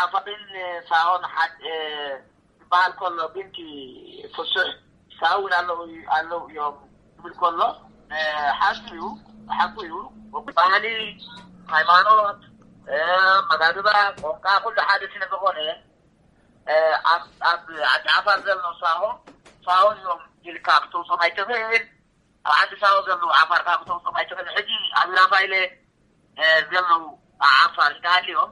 ዓፋርን ሳሆን ሓደ ዝበሃል ከሎ ግን እቲ ፍሱሕ ሳሆ እውን ኣለዉ ኣለዉ እዮም ዝብል ከሎ ሓቂ እዩ። ሓቁ እዩ። ባህሊ፣ ሃይማኖት፣ መጋግባ፣ ቋንቋ ኩሉ ሓደ ስለዝኾነ ኣብ ኣብ ዓዲ ዓፋር ዘሎ ሳሆ ሳሆ እዮም ኢልካ ክተውፅኦም ኣይትኽእል። ኣብ ዓዲ ሳሆ ዘለዉ ዓፋር ካብ ክተውፅኦም ኣይትኽእል። ሕጂ ኣብ ራፋይለ ዘለዉ ዓፋር እንተሃልዮም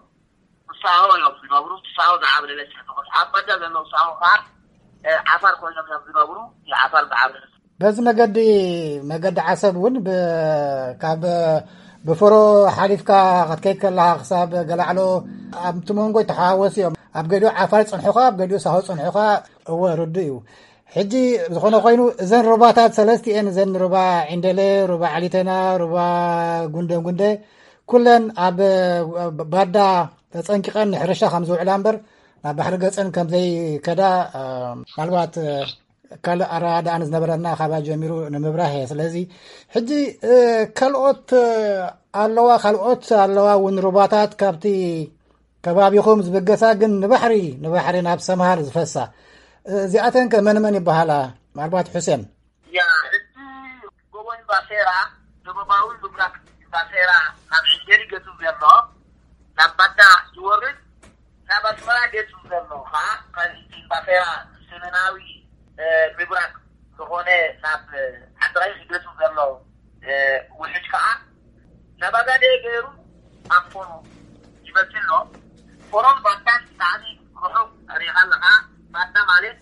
ሳሆ እዮም ዝነብሩ። ሳሆ ዝዓብለለ ስለዝኾነ ኣብ ባዳ ዘለዉ ሳሆ ከዓ ዓፋር ኮይኖም እዮም ዝነብሩ። ዓፋር ዝዓብለለ በዚ መገዲ መገዲ ዓሰብ እውን ብ- ካብ ብፍሮ ሓሊፍካ ክትከይድ ከለካ ክሳብ ገላዕሎ ኣብቲ መንጎ ይተሓዋወሱ እዮም። ኣብ ገሊኡ ዓፋር ይፅንሑኻ፣ ኣብ ገሊኡ ሳሆ ይፅንሑኻ። እወ ርዱእ እዩ። ሕጂ ዝኾነ ኮይኑ እዘን ሩባታት ሰለስቲኤን እዘን ሩባ ዒንደለ፣ ሩባ ዓሊተና፣ ሩባ ጉንደ ጉንደ ኩለን ኣብ ባዳ ተፀንቂቐን ንሕርሻ ከም ዝውዕላ እምበር ናብ ባሕሪ ገፀን ከም ዘይከዳ ምናልባት ካልእ ኣረዳድኣ ንዝነበረና ካባ ጀሚሩ ንምብራህ እየ። ስለዚ ሕጂ ካልኦት ኣለዋ ካልኦት ኣለዋ እውን ሩባታት ካብቲ ከባቢኹም ዝብገሳ ግን ንባሕሪ ንባሕሪ ናብ ሰምሃር ዝፈሳ እዚኣተን ከ መን መን ይበሃላ? ምናልባት ሑሴን። ያ እቲ ጎቦ ኢምባሴራ ደቡባዊ ምብራቅ ኢምባሴራ ናብ ዕንጀሪ ገጹ ዘሎ ናብ ባዳ ዝወርድ ናብ ኣስመራ ገጹ ዘሎ ከዓ ካብ ኢምባሴራ ሰሜናዊ ምብራቅ ዝኾነ ናብ ዓዲ ቀይሕ ገጹ ዘሎ ውሕጅ ከዓ ናብ ኣጋደ ገይሩ ኣብ ፎሮ ይመጽእ ኣሎ። ፎሮን ባዳን ብጣዕሚ ርሑቕ ርኢኻ ኣለኻ። ባዳ ማለት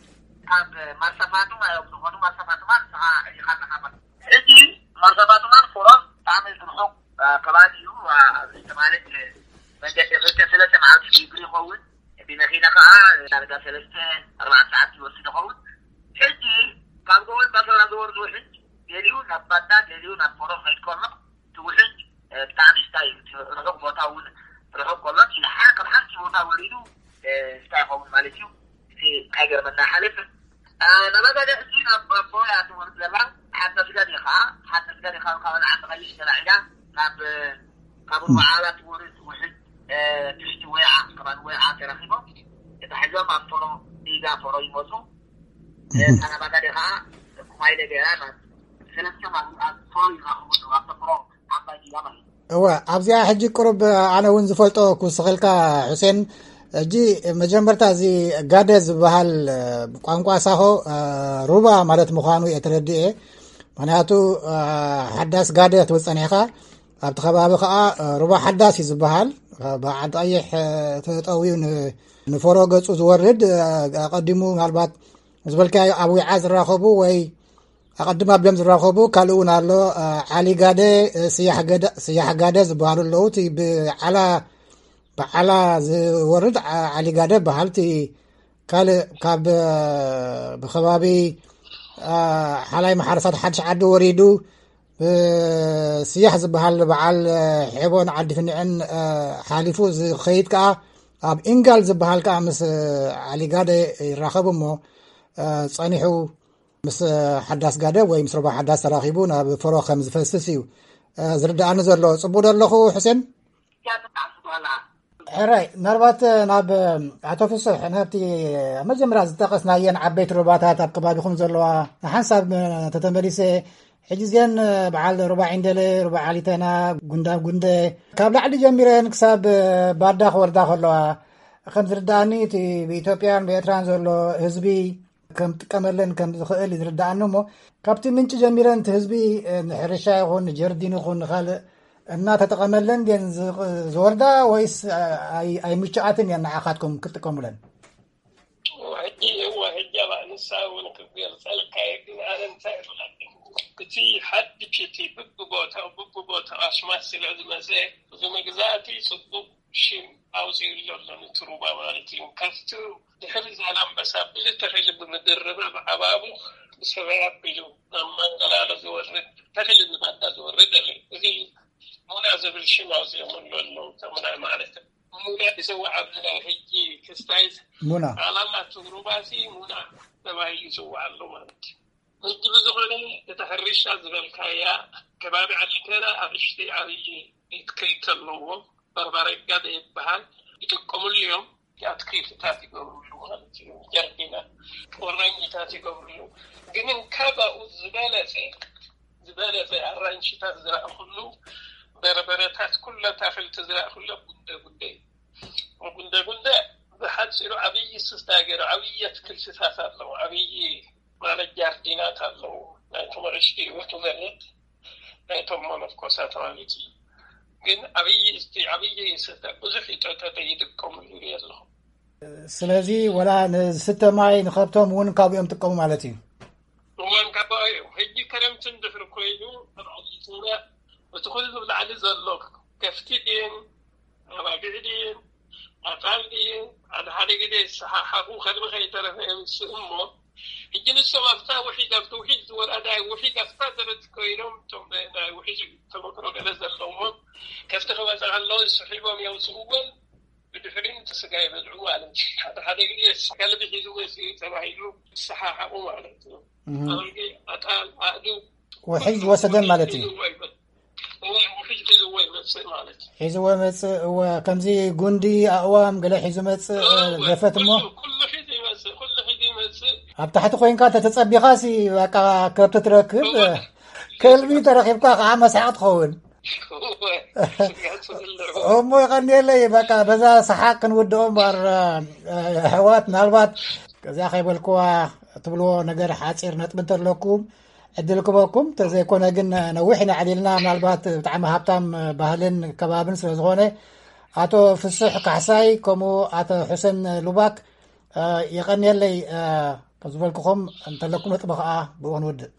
ካብ ማርሳፋቱማ እዮም ዝኾኑ። ማርሳፋቱማ ንስኻ ርኢኻ ኣለኻ ማለት ሕጂ ማርሳፋቱማን ፎሮን ብጣዕሚ ርሑቕ ከባቢ እዩ። ማለት መንገዲ ክልተ ሰለስተ መዓልቲ ብእግሪ ይኸውን። ብመኪና ከዓ ዳርጋ ሰለስተ ኣርባዕተ ሰዓት ይወስድ ይኸውን። ሕጂ ካብ ጎቦ ኢምባሴራ ዝወርድ ውሕጅ ገሊኡ ናብ ባዳ ገሊኡ ናብ ፎሮ ክኸይድ ከሎ እቲ ውሕጅ ብጣዕሚ ስታይ ርሑቕ ቦታ እውን ርሑቕ ከሎ እቲ ካብ ሓንቲ ቦታ ወሪዱ ስታይ ይኸውን ማለት እዩ። እዚ ኣይገርመና ሓልፍ ናባጋደ ሕጂ ናብ ኣቦያ ትወርድ ዘላ ሓንቲ ስጋድ ኢኻ ሓንቲ ስጋድ ኢኻ ካብ ዓዲ ቀይሽ ተላዒላ ናብ ካብ ሩባዓላ ትወርድ ውሕጅ ትሽቲ ወይዓ ከባቢ ወይዓ ተረኺቦም ተታሒዞም ኣብ ፎሮ ዲጋ ፎሮ ይመፁ። ናባጋደ ከዓ ኩማይለ ገይራ ናብ ሰለስተ ማሉ ኣብ ፎሮ ይራኸቡ ኣለዉ ኣብ ፎሮ ዓባይ ዲጋ ማለት እዩ። እወ ኣብዚኣ ሕጂ ቅሩብ ኣነ እውን ዝፈልጦ ክውስኸልካ ሑሴን ሕጂ መጀመርታ እዚ ጋደ ዝበሃል ቋንቋ ሳሆ ሩባ ማለት ምዃኑ እየ ተረዲኤ። ምክንያቱ ሓዳስ ጋደ ክትብል ጸኒሕካ፣ ኣብቲ ከባቢ ከዓ ሩባ ሓዳስ እዩ ዝበሃል። ብዓዲ ቀይሕ ተጠውዩ ንፈሮ ገጹ ዝወርድ፣ ኣቐዲሙ ምናልባት ዝበልካዮ ኣብ ዊዓ ዝራኸቡ ወይ ኣቐድም ኣቢሎም ዝራኸቡ ካልእ እውን ኣሎ። ዓሊ ጋደ፣ ስያሕ ጋደ ዝበሃሉ ኣለዉ። እቲ ብዓላ ብዓላ ዝወርድ ዓሊጋደ በሃል። እቲ ካልእ ካብ ብከባቢ ሓላይ መሓረሳት ሓድሽ ዓዲ ወሪዱ ብስያሕ ዝበሃል በዓል ሔቦን ዓዲ ፍንዕን ሓሊፉ ዝኸይድ ከዓ ኣብ ኢንጋል ዝበሃል ከዓ ምስ ዓሊጋደ ይራኸቡ እሞ ጸኒሑ ምስ ሓዳስ ጋደ ወይ ምስ ሩባ ሓዳስ ተራኺቡ ናብ ፈሮ ከም ዝፈስስ እዩ ዝርድኣኒ ዘሎ። ጽቡቅ ዶ ኣለኹ ሕሴን? ሕራይ፣ ምናልባት ናብ ኣቶ ፍሱሕ ናብቲ ኣብ መጀመርያ ዝጠቐስናየን ዓበይቲ ሩባታት ኣብ ከባቢኹም ዘለዋ ንሓንሳብ ተተመሊሰ፣ ሕጂ እዚአን በዓል ሩባ ዒንደለ፣ ሩባ ዓሊተና፣ ጉንዳ ጉንደ ካብ ላዕሊ ጀሚረን ክሳብ ባዳ ክወርዳ ከለዋ ከም ዝርድኣኒ እቲ ብኢትዮጵያን ብኤርትራን ዘሎ ህዝቢ ከም ጥቀመለን ከም ዝኽእል ዝርድኣኒ እሞ ካብቲ ምንጪ ጀሚረን እቲ ህዝቢ ንሕርሻ ይኹን ንጀርዲን ይኹን ንኻልእ እናተጠቐመለን ድን ዝወርዳ ወይስ ኣይምችኣትን እየን ንዓኻትኩም ክትጥቀሙለን? ሕጂ እዋ ሕጂ ኣባ ንሳ እውን ክገልፀልካ ግን ኣነ እንታይ ይብለኒ እቲ ሓድሽ እቲ ብብቦታው ብብቦታው ኣስማት ስለ ዝመፀ እዚ መግዛእቲ ፅቡቅ ሽም ኣውፂኡ ኣሎ ንትሩባ ማለት እዩ ካብቲ ድሕሪ ዛላምበሳ ብዙሕ ተኺሊ ብምድርባብ ዓባቡ ብሰማይ ኣቢሉ ናብ ማንገላሎ ዝወርድ ተኺሊ ንባዳ ዝወርድ ኣለ እዚ ሙና ዝብል ሽም ኣውፂኦምሉ ኣለዉ ተምና ማለት ሙና ይፅዋዕ ኣብዚ ናይ ሕጂ ክስታይት ሙና ዓላማ ትሩባሲ ሙና ተባሂሉ ይፅዋዕ ኣሎ ማለት እዩ ሕጂ ብዝኾነ እቲ ሕርሻ ዝበልካያ ከባቢ ዓሊተና ኣእሽተይ ዓብዪ ኢትክልቲ ኣለዎ በርባረጋ ዘይበሃል ይጥቀምሉ እዮም ኣትክልትታት ይገብርሉ ማለት እዩ ጀርዲና ቆራኝታት ይገብርሉ ግን እንካባኡ ዝበለፀ ዝበለፀ ኣራንሽታት ዝረእኩሉ በርበረታት ኩለ ኣታክልቲ ዝረእኩለ ጉንደ ጉንደ ጉንደ ጉንደ ብሓፂሩ ዓብዪ ስስታ ገይሩ ዓብዪ ኣትክልትታት ኣለዉ ዓብዪ ማለት ጃርዲናት ኣለዉ ናይቶም ኣእሽቲ ወቱ መሬት ናይቶም መነኮሳት ማለት እዩ ግን ዓብዪ እስቲ ዓብዪ ስስታ ብዙሕ ይጠጠጠ ይጥቀምሉ ይርኢ ኣለኹ ስለዚ ወላ ንስተ ማይ ንኸብቶም እውን ካብኡ እዮም ጥቀሙ ማለት እዩ እዋን ካባኡ እዮም ሕጂ ክረምቲ እንድሕሪ ኮይኑ ተባዕሊቱና እቲ ኩሉ ብላዕሊ ዘሎ ከፍቲ ድየን ኣባጊዕ ድየን ኣጣል ድየን ሓደ ሓደ ግዜ ዝሰሓሓቑ ከልቢ ከይተረፈ የምስእ እሞ ሕጂ ንሶም ኣብታ ውሒድ ኣብቲ ውሒድ ዝወርኣዳ ውሒድ ኣብታ ዘበት ኮይኖም እቶም ናይ ውሒድ ተመክሮ ገለ ዘለዎም ከፍቲ ክመፅእ ከለዉ ስሒቦም የውፅእዎን ብድሕሪኡ እቲ ስጋ ይበልዑ ማለት እዩ። ሓደ ሓደ ግዜ ከልቢ ሒዝዎ እዩ ተባሂሉ ይሰሓሓቑ ማለት እዩ። ኣድጊ፣ ኣጣል፣ ኣእዱግ ውሒጅ ዝወሰደን ማለት እዩ። ሒዝዎ ይመ- እወ፣ ውሒጅ ሒዝዎ ይመፅእ ማለት እዩ። ሒዝዎ መፅእ። እወ፣ ከምዚ ጉንዲ፣ ኣእዋም ገለ ሒዙ መፅእ፣ እወ፣ ገፈት እሞ ኩሉ ኩሉ ሒዙ ይመፅእ፣ ኩሉ ሒዙ ይመፅእ። ኣብ ታሕቲ ኮይንካ ተተፀቢኻሲ በቃ ከብቲ ትረክብ። እወ። ከልቢ ተረኺብካ ከዓ መስሓቕ ትኸውን። እሞ ይቐንየለይ በቃ በዛ ሰሓቅ ክንውድኦ እምበር ኣሕዋት ምናልባት እዚኣ ከይበልክዋ ትብልዎ ነገር ሓፂር ነጥቢ እንተለኩም ዕድል ክበኩም ተዘይኮነ ግን ነዊሕ ኢና ዕሊልና ምናልባት ብጣዕሚ ሃብታም ባህልን ከባብን ስለዝኾነ ኣቶ ፍሱሕ ካሕሳይ ከምኡ ኣቶ ሑሰን ሉባክ የቐንየለይ ዝበልክኹም እንተለኩም ነጥቢ ከዓ ብኡ ክንውድእ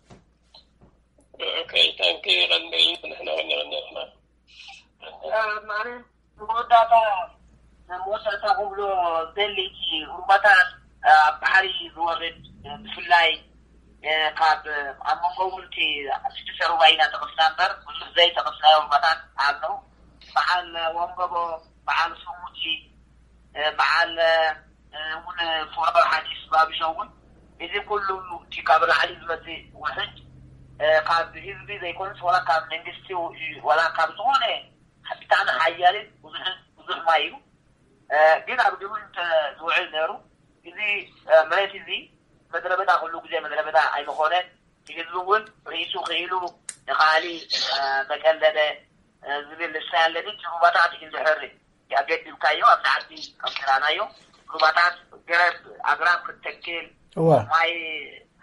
ማለት መወዳእታ መወዳእታ ክብሎ ዘሊ እቲ ሩባታት ኣብ ባሕሪ ዝወርድ ብፍላይ ካብ ኣብ መንጎ እውን እቲ ሽዱሽተ ሩባ ኢና ጠቐስና እምበር ብዙሕ ዘይጠቐስናዮ ሩባታት ኣሎ። በዓል ወንበቦ፣ በዓል ስሙቲ፣ በዓል እውን ፎራር ሓዲስ ባብሾ እውን እዚ ኩሉ እቲ ካብ ላዕሊ ዝመፅእ ውሕጅ ካብ ህዝቢ ዘይኮነስ ዋላ ካብ መንግስቲ ዋላ ካብ ዝኾነ ብጣዕሚ ሓያልን ብዙሕን ብዙሕ ማይ እዩ። ግን ኣብ ግብሪ እንተዝውዕል ነይሩ እዚ መሬት እዚ መድረ በዳ ኩሉ ግዜ መድረ በዳ ኣይምኾነን። ህዝቢ እውን ርእሱ ክኢሉ ንካሊ መቀለደ ዝብል ልሳን ኣለኒ። እቲ ሩባታት እንድሕር ያገድምካዮ ኣብ ዓዲ ከምራናዮ ሩባታት ገረብ ኣግራብ ክትተክል እወ ማይ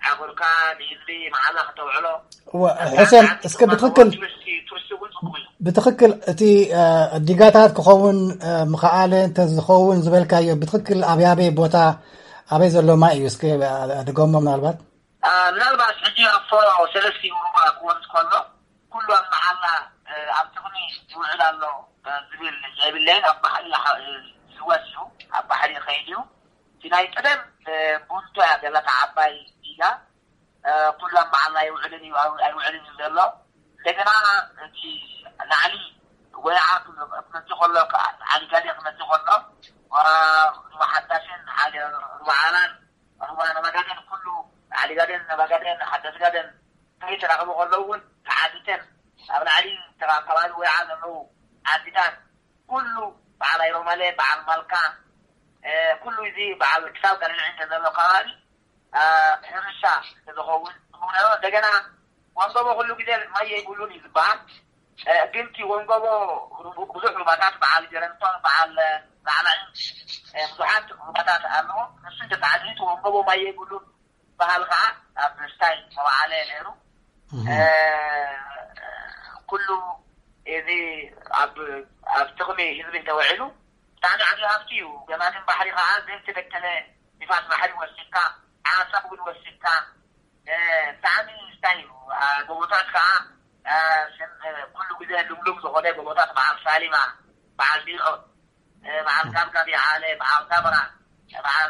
ዓጉርካ ንህዝቢ መዓላ ከተውዕሎ እወ ሕሰን እስከ ብትክክል ቱሪስቲ እውን ጽቡቅ እዩ። ብትክክል እቲ ዲጋታት ክኸውን ምኽኣለ እንተዝኸውን ዝበልካዮ ብትክክል ኣብያበይ ቦታ ኣበይ ዘሎ ማይ እዩ እስከ ድገሞ ምናልባት ምናልባት ሕጂ ኣፎ ሰለስቲኡ ሩባ ክወርድ ከሎ ኩሉ ኣብ መዓላ ኣብ ጥቕሚ ይውዕል ኣሎ ዝብል የብለይን። ኣብ ባሕሪ ዝወስ እዩ፣ ኣብ ባሕሪ ይኸይድ እዩ። እቲ ናይ ቀደም ቡንቶ እያ ዘለታ ዓባይ ዲጋ ኩሉ ኣብ መዓላ ይውዕልን እዩ ኣይውዕልን እዩ ዘሎ። እንደገና እቲ ላዕሊ ወይዓ ክመፅእ ከሎ ዓሊጋዴ ክመፅእ ከሎ ሩባ ሓዳሽን ሓደ ሩባ ዓላን ሩባ ነባጋደን ኩሉ ዓሊጋደን ነባጋደን ሓዳስጋደን ከይተራኸቡ ከለዉ እውን ተዓዲተን ኣብ ላዕሊ ከባቢ ወይዓ ዘለዉ ዓዲታት ኩሉ በዓል ኣይሮማለ በዓል ማልካ ኩሉ እዚ በዓል ክሳብ ቀልልዒ እንተዘሎ ከባቢ ሕርሻ ዝኸውን እንደገና ወንገቦ ኩሉ ግዜ ማይ የይብሉን እዩ ዝበሃል። ግን እቲ ወንገቦ ብዙሕ ሩባታት በዓል ጀረንቶን በዓል ላዕላይ ብዙሓት ሩባታት ኣለዎ። ንሱ እንተተዓዲቱ ወንገቦ ማይ የይብሉን በሃል ከዓ ኣብ ስታይ መባዓለ ነይሩ። ኩሉ እዚ ኣብ ኣብ ጥቕሚ ህዝቢ እንተውዒሉ ብጣዕሚ ዓብዪ ሃፍቲ እዩ። ገማግም ባሕሪ ከዓ ዘይተበተነ ንፋስ ባሕሪ ወሲድካ ዓሳ እውን ወሲድካ ብጣዕሚ ስታይ እዩ። ጎቦታት ከዓ ኩሉ ግዜ ልምሉም ዝኾነ ጎቦታት በዓል ሳሊማ በዓል ቢዖ በዓል ጋብጋብ ይዓለ በዓል ጋብራ በዓል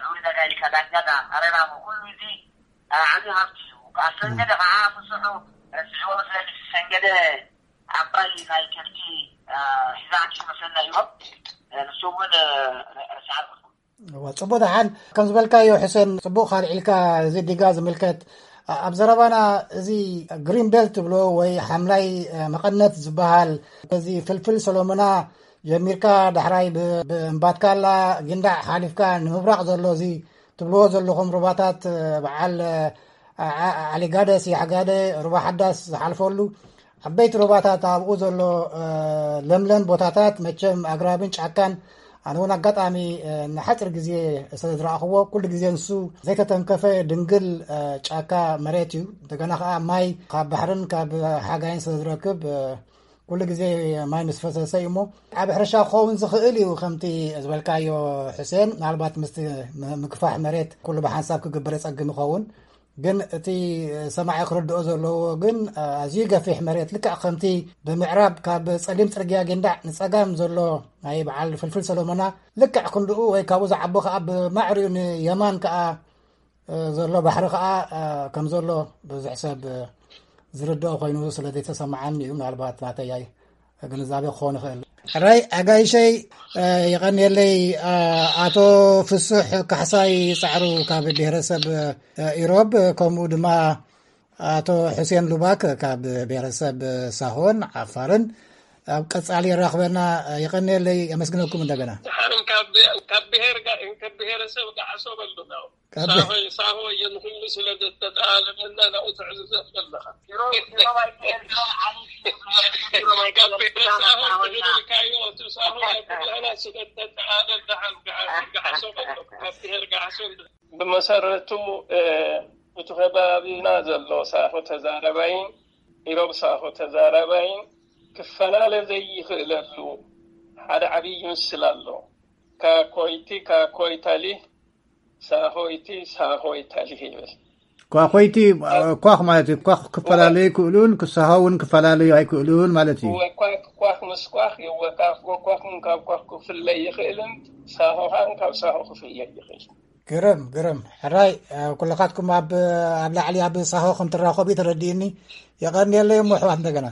ዑሪ ነጋ ኢልካ ዳኛዳ ኣረራሞ ኩሉ እዚ ዓብዪ ሃፍቲ እዩ። ካብ ሰንገደ ከዓ ፍስሑ ረስዕዎ ስለዚ ሰንገደ ዓባይ ናይ ከብቲ ሒዛ ኣኪቡ መሰና እዮም። ንሱ እውን ረስዓ እዋ፣ ጽቡቅ ደሓን ከም ዝበልካዮ ሕሰን ጽቡቅ ካልዒልካ እዚ ዲጋ ዝምልከት ኣብ ዘረባና እዚ ግሪን ቤልት ትብሎ ወይ ሓምላይ መቐነት ዝበሃል እዚ ፍልፍል ሰሎሞና ጀሚርካ ዳሕራይ ብእምባትካላ ጊንዳዕ ሓሊፍካ ንምብራቕ ዘሎ እዚ ትብልዎ ዘለኹም ሩባታት በዓል ዓሊጋደ ስያሕጋደ ሩባ ሓዳስ ዝሓልፈሉ ዓበይቲ ሩባታት ኣብኡ ዘሎ ለምለም ቦታታት መቸም ኣግራብን ጫካን ኣነ እውን ኣጋጣሚ ንሓፂር ግዜ ስለ ዝረኣኽዎ ኩሉ ግዜ ንሱ ዘይተተንከፈ ድንግል ጫካ መሬት እዩ። እንደገና ከዓ ማይ ካብ ባሕርን ካብ ሓጋይን ስለ ዝረክብ ኩሉ ግዜ ማይ ምስ ፈሰሰ እዩ እሞ ኣብ ሕርሻ ክኸውን ዝኽእል እዩ። ከምቲ ዝበልካዮ ሕሴን ምናልባት ምስ ምክፋሕ መሬት ኩሉ ብሓንሳብ ክግበር የፀግም ይኸውን። ግን እቲ ሰማዒ ክርድኦ ዘለዎ ግን ኣዝዩ ገፊሕ መሬት ልክዕ ከምቲ ብምዕራብ ካብ ጸሊም ጽርግያ ጊንዳዕ ንጸጋም ዘሎ ናይ በዓል ፍልፍል ሰሎሞና ልክዕ ክንድኡ ወይ ካብኡ ዝዓቦ ከዓ ብማዕሪኡ ንየማን ከዓ ዘሎ ባሕሪ ከዓ ከም ዘሎ ብዙሕ ሰብ ዝርድኦ ኮይኑ ስለ ዘይተሰማዓኒ እዩ። ምናልባት ናተይ ግንዛቤ ክኾን ይኽእል። ሕራይ ኣጋይሸይ የቐንየለይ። ኣቶ ፍሱሕ ካሕሳይ ፃዕሩ ካብ ብሄረሰብ ኢሮብ ከምኡ ድማ ኣቶ ሕሴን ሉባክ ካብ ብሄረሰብ ሳሆን ዓፋርን ኣብ ቀፃሊ የራኽበና። የቐንየለይ። የመስግነኩም እንደገና። ድሓርን ካብ ብሄረሰብ ጋዓሶ በሉ። ሳሆ ሳሆ እየ ንኹሉ ስለ ዘተጠላለፈና ናብኡ ትዕዝዘት ዘለኻ። ካብ ብሄር ሳሆ ትብለናዮ እቲ ሳሆ ናይ ኩላህና ስለ ተጠላለፍ ደሓን ገዓሶ በሎ። ካብ ብሄር ገዓሶ ብመሰረቱ እቲ ከባቢና ዘሎ ሳሆ ተዛረባይን ኢሮብ ሳሆ ተዛረባይን ክፈላለ ዘይኽእለሉ ሓደ ዓብዪ ምስል ኣሎ። ካኮይቲ ካኮይታሊ ሳሆይቲ ሳሆይታሊ ይብል። ኳኾይቲ ኳኽ ማለት እዩ። ኳኽ ክፈላለዩ ይክእሉን ክሳሆ እውን ክፈላለዩ ኣይክእሉን ማለት እዩ። ኳኽ ኳኽ ምስ ኳኽ ይወቃፍ። ኳኽ ካብ ኳኽ ክፍለይ ይኽእልን ሳሆ ኻን ካብ ሳሆ ክፍለይ ይኽእል። ግርም ግርም። ሕራይ ኩልኻትኩም ኣብ ኣብ ላዕሊ ኣብ ሳሆ ከም ትራኸቡ ተረዲእኒ። የቐንየለይ እሞ ኣሕዋት እንደገና